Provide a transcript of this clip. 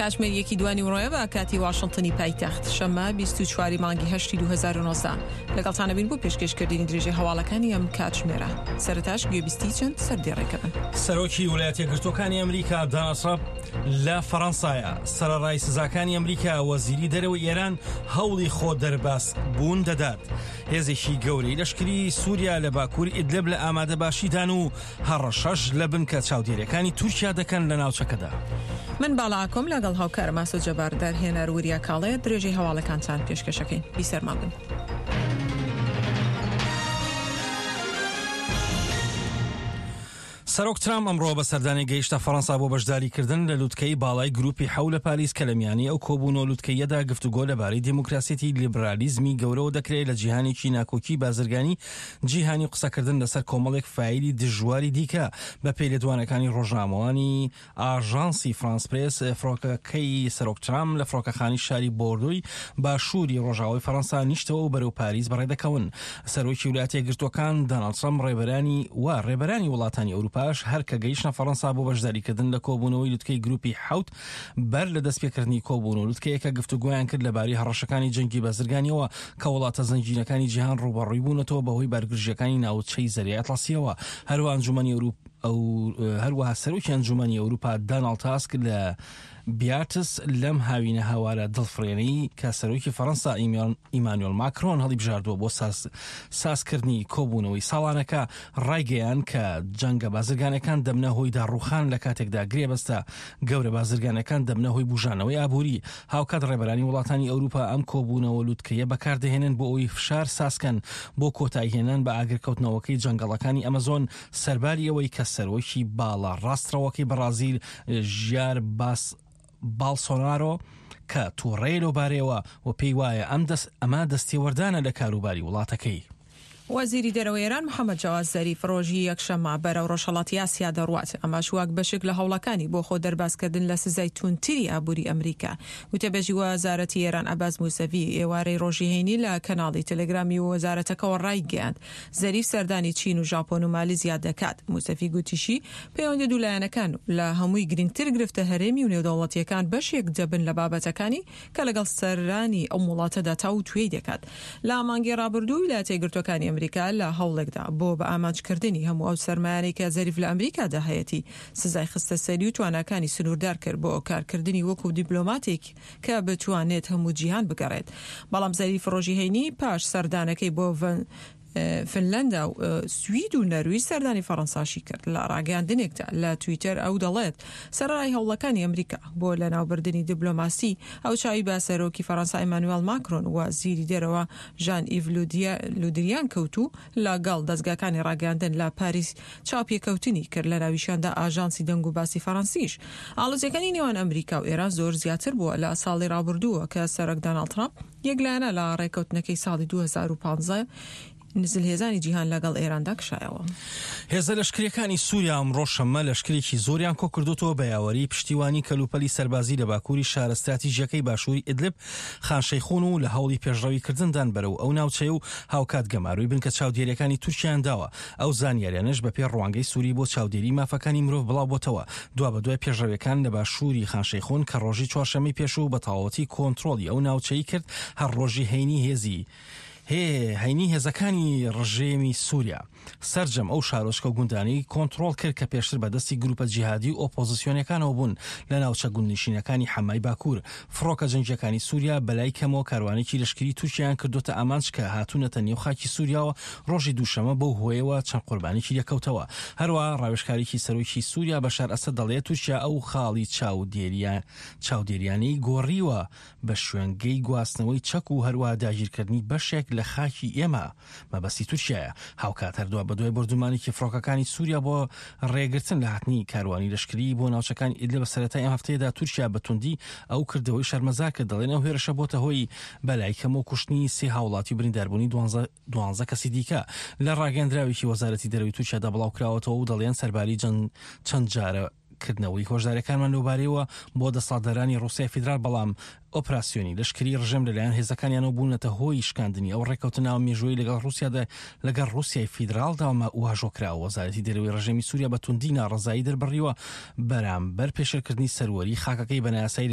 کاتژمێر یەکی دوانیوڕۆیە بە کاتی واشنتنی پایتەخت، شەممە 24 ی مانگی هەشتی 2019. لەگەڵتان ئەبین بۆ پێشکێشکردنی درێژەی هەواڵەکانی ئەم کاتژمێرە. سەرەتاش گوێبیستی چەند سەردێڕێکە بن. سەرۆکی وڵاتە یەکگرتووەکانی ئەمریکا داناڵد ترەمپ لە فەڕەنسایە، سەرەڕای سزاکانی ئەمریکا، وەزیری دەرەوەی ئێران هەوڵی خۆ دەرباز بوون دەدات. هێزێکی گەورەی لەشکری سووریا لە باکووری ئیدلب لە ئامادەباشیدان و هەڕەشەش لە بنکە چاودێریەکانی تورکیا دەکەن لە ناوچەکەدا. من باڵا ئاکۆم لەگەڵ هاوکارم ئاسۆ جەبار دەرهێنەر وریا کاڵێ درێژەی هەواڵەکانتان پێشکەشەکەین. بیسەرمان بن. سەرۆک ترامپ ئەمڕۆ بە سەردانی گەیشتە فەڕەنسا بۆ بەشداریکردن لە لوتکەی باڵای گروپی حەو لە پاریس کە لە میانی ئەو کۆبوونەوە لوتکەییەدا گفتوگۆ لەبارەی دیموکراسیەتی لیبرالیزمی گەورەوە دەکرێت لە جیهانێکی ناکۆکی بازرگانی جیهانی و قسەکردن لەسەر کۆمەڵێک فایلی دژواری دیکە. بەپێی لێدوانەکانی ڕۆژنامەوانی ئاژانسی فرانس پرێس، فڕۆکەکەی سەرۆک ترامپ لە فڕۆکەخانەی شاری بۆردۆی باشووری ڕۆژاوای فەڕەنسا نیشتەوە و بەرەو پاریس بەڕێدەکەون. سەرۆکی ویلایەتە یەکگرتووەکان داناڵد ترەمپ ڕێبەرانی و ڕێبەرانی وڵاتانی ئەوروپاش هەر کە گەیشتنە فەڕەنسا بۆ بەشداریکردن لە کۆبوونەوەی لوتکەی گروپی حەوت بەر لە دەستپێکردنی کۆبوونەوە لوتکەیەکە گفتوگۆیان کرد لەبارەی هەڕەشەکانی جەنگی بازرگانیەوە کە وڵاتە زەنگینەکانی جیهان ڕووبەڕووی بوونەتەوە بەهۆی بارگرژییەکانی ناوچەی زەریای ئەتڵەسیەوە. هەروەها ئەنجومەنی هەروەها سەرۆکی ئەنجومەنی ئەوروپا داناڵد تاسک لە بیارتس لەم هاوینە هاوارە دڵفڕێنەی کە سەرۆکی فەڕەنسا ئیمانوێل ماکرۆن هەڵیبژاردووە بۆ سازکردنی کۆبوونەوەی ساڵانەکە ڕایگەیاند کە جەنگە بازرگانەکان دەبنە هۆی داڕووخان لە کاتێکدا گرێبەستە گەورە بازرگانەکان دەبنە هۆی بوژانەوەی ئابووری. هاوکات ڕێبەرانی وڵاتانی ئەوروپا ئەم کۆبوونەوە لوتکەیە بەکاردەهێنن بۆ ئەوەی فشار سازکەن بۆ کۆتاییهێنان بە ئاگرکەوتنەوەکەی جەنگەڵەکانی ئەمەزۆن سەرباری ئەوەی کە سەرۆکی باڵا ڕاستڕەوەکەی بەڕازیل ژیار باس باڵسۆنارۆ کە توڕەیە لەوبارەیەوە و پێی وایە ئەم دەست ئەمە دەستێوەردانە لە کاروباری وڵاتەکەی. وەزیری دەرەوەی ئێران محەمەد جەواد زەریف ڕۆژی یەکشەممە بەرەو ڕۆژهەڵاتی ئاسیا دەڕوات، ئەمەش وەک بەشێک لە هەوڵەکانی بۆ خۆ دەربازکردن لە سزای توندتری ئابووری ئەمریکا. وتەبێژی وەزارەتی ئێران عەباس موسەڤی ئێوارەی ڕۆژی هەینی لە کەناڵی تەلەگرامی وەزارەتەکەوە ڕایگەیاند، زەریف سەردانی چین و ژاپۆن و مالیزیا دەکات. موسەفی گوتیشی، پەیوەندیە دوولایەنەکان و لە هەمووی گرنگتر گرفتە هەرێمی و نێودەوڵەتییەکان بەشێک دەبن لە بابەتەکانی کە لەگەڵ سەرانی ئەم وڵاتەدا تاووتوێی دەکات. لە مانگی ڕابردوو ویلایەتە یەکگرتووەکانی ئەمریکا لە هەوڵێکدا بۆ بە ئامانجکردنی هەموو ئەو سەرمایانەی کە زەریف لە ئەمریکادا هەیەتی سزای خستە سەری و تواناکانی سنووردار کرد بۆ کارکردنی وەکو دیپلۆماتێک کە بتوانێت هەموو جیهان بگەڕێت. بەڵام زەریف ڕۆژی هەینی پاش سەردانەکەی بۆ فنلەندا و سوید و نەرویج سەردانی فەڕەنساشی کرد. لە ڕاگەیاندنێکدا لە تویتەر ئەو دەڵێت، سەرەڕای هەوڵەکانی ئەمریکا بۆ لەناوبردنی دیبلۆماسی، ئەو چاوی بە سەرۆکی فەڕەنسا ئیمانوێڵ ماکرۆن و وەزیری دەرەوە ژان ئیڤ لودریان کەوت و لەگەڵ دەزگاکانی ڕاگەیاندن لە پاریس چاوپێکەوتنی کرد لەناویشیاندا ئاژانسی دەنگوباسی فەڕەنسیش. ئاڵۆزیەکانی نێوان ئەمریکا و ئێران زۆر زیاتر بووە لە ساڵی ڕابردووە کە سەرۆک داناڵد ترامپ یەکلایەنە لە ڕێکەوتنەکەی ساڵی 2015 زلهێزانی جیهان لەگەڵ ئێراندا کشایەوە. هێزە لەشکرییەکانی سووریا ئەمڕۆ شەممە لەشکرێکی زۆریان کۆکردۆتەوە بە یاوەریی پشتیوانی کەلوپەلی سەربازی لە باکووری شارە ستراتیژییەکەی باشووری ئیدلب خان شەیخون و لە هەوڵی پێشڕەویکردندان بەرەو ئەو ناوچەیە و هاوکات گەمارۆی بنکە چاودێرییەکانی تورکیایان داوە. ئەو زانیاریانەش بەپێی ڕوانگەی سووری بۆ چاودێری مافەکانی مرۆڤ بڵاوبۆتەوە دوابەدوای پێشڕەویەکان لە باشووری خان شەیخون کە ڕۆژی چوارشەممەی پێشوو بە تەواوەتی کۆنترۆڵی ئەو ناوچەی کرد هەر ڕۆژی هەینی هێزی هەینی هێزەکانی ڕژێمی سووریا سەرجەم ئەو شارۆچکە و گوندانەی کۆنترۆڵ کرد کە پێشتر بە دەستی گروپە جیهادی و ئۆپۆزسیۆنەکانەوە بوون لە ناوچە گوندنشینەکانی حەمای باکوور. فڕۆکە جەنگییەکانی سووریا بەلای کەمەوە کاروانێکی لەشکری تورکیایان کردۆتە ئامانج کە هاتوونەتە نێو خاکی سووریاوە ڕۆژی دووشەممە بەو هۆیەوە چەند قوربانێکی لێکەوتەوە. هەروەها ڕاوێژکارێکی سەرۆکی سووریا بەشار ئەسەد دەڵێت تورکیا ئەو خاڵی چاودێریانەی گۆڕیوە بە شوێنگەی گواستنەوەی چەک و هەروەها داگیرکردنی بەشێک لە خاکی ئێمە مەبەستی تورکیایە. هاوکات هەر دوابەدوای بۆردومانێکی فڕۆکەکانی سوریا بۆ ڕێگرتن لە هاتنی کاروانی لەشکریی بۆ ناوچەکانی ئیدلب سەرەتای ئەم هەفتەیەدا تورکیا بە توندی ئەو کردەوەی شەرمەزار کرد دەڵێن ئەو هێرشە بۆتە هۆی بەلای کەمەوە کوشتنی سێ هاوڵاتی و برینداربوونی دوانزە کەسی دیکە لە ڕاگەندراوێکی وەزارەتی دەرەوەی تورکیادا بڵاوکراوەتەوە و دەڵێن سەرباری چەند جارە کردنەوەی هۆشداریەکانمان لەوبارەیەوە بۆ دەسەڵاتدارانی ڕوسیای فیدرال، بەڵام ئۆپراسیۆنی لەشکری ڕژێم لەلایەن هێزەکانیانەوە بوونەتە هۆی شکاندنی ئەو ڕێککەوتننامە مێژوویەی لەگەڵ ڕوسیادا لەگەڵ ڕوسیای فیدراڵدا واژۆ کراوە. وەزارەتی دەرەوەی ڕژێمی سوریا بە توندی ناڕەزایی دەربڕیوە بەرامبەر پێشێلکردنی سەروەری خاکەکەی بە نایاسایی.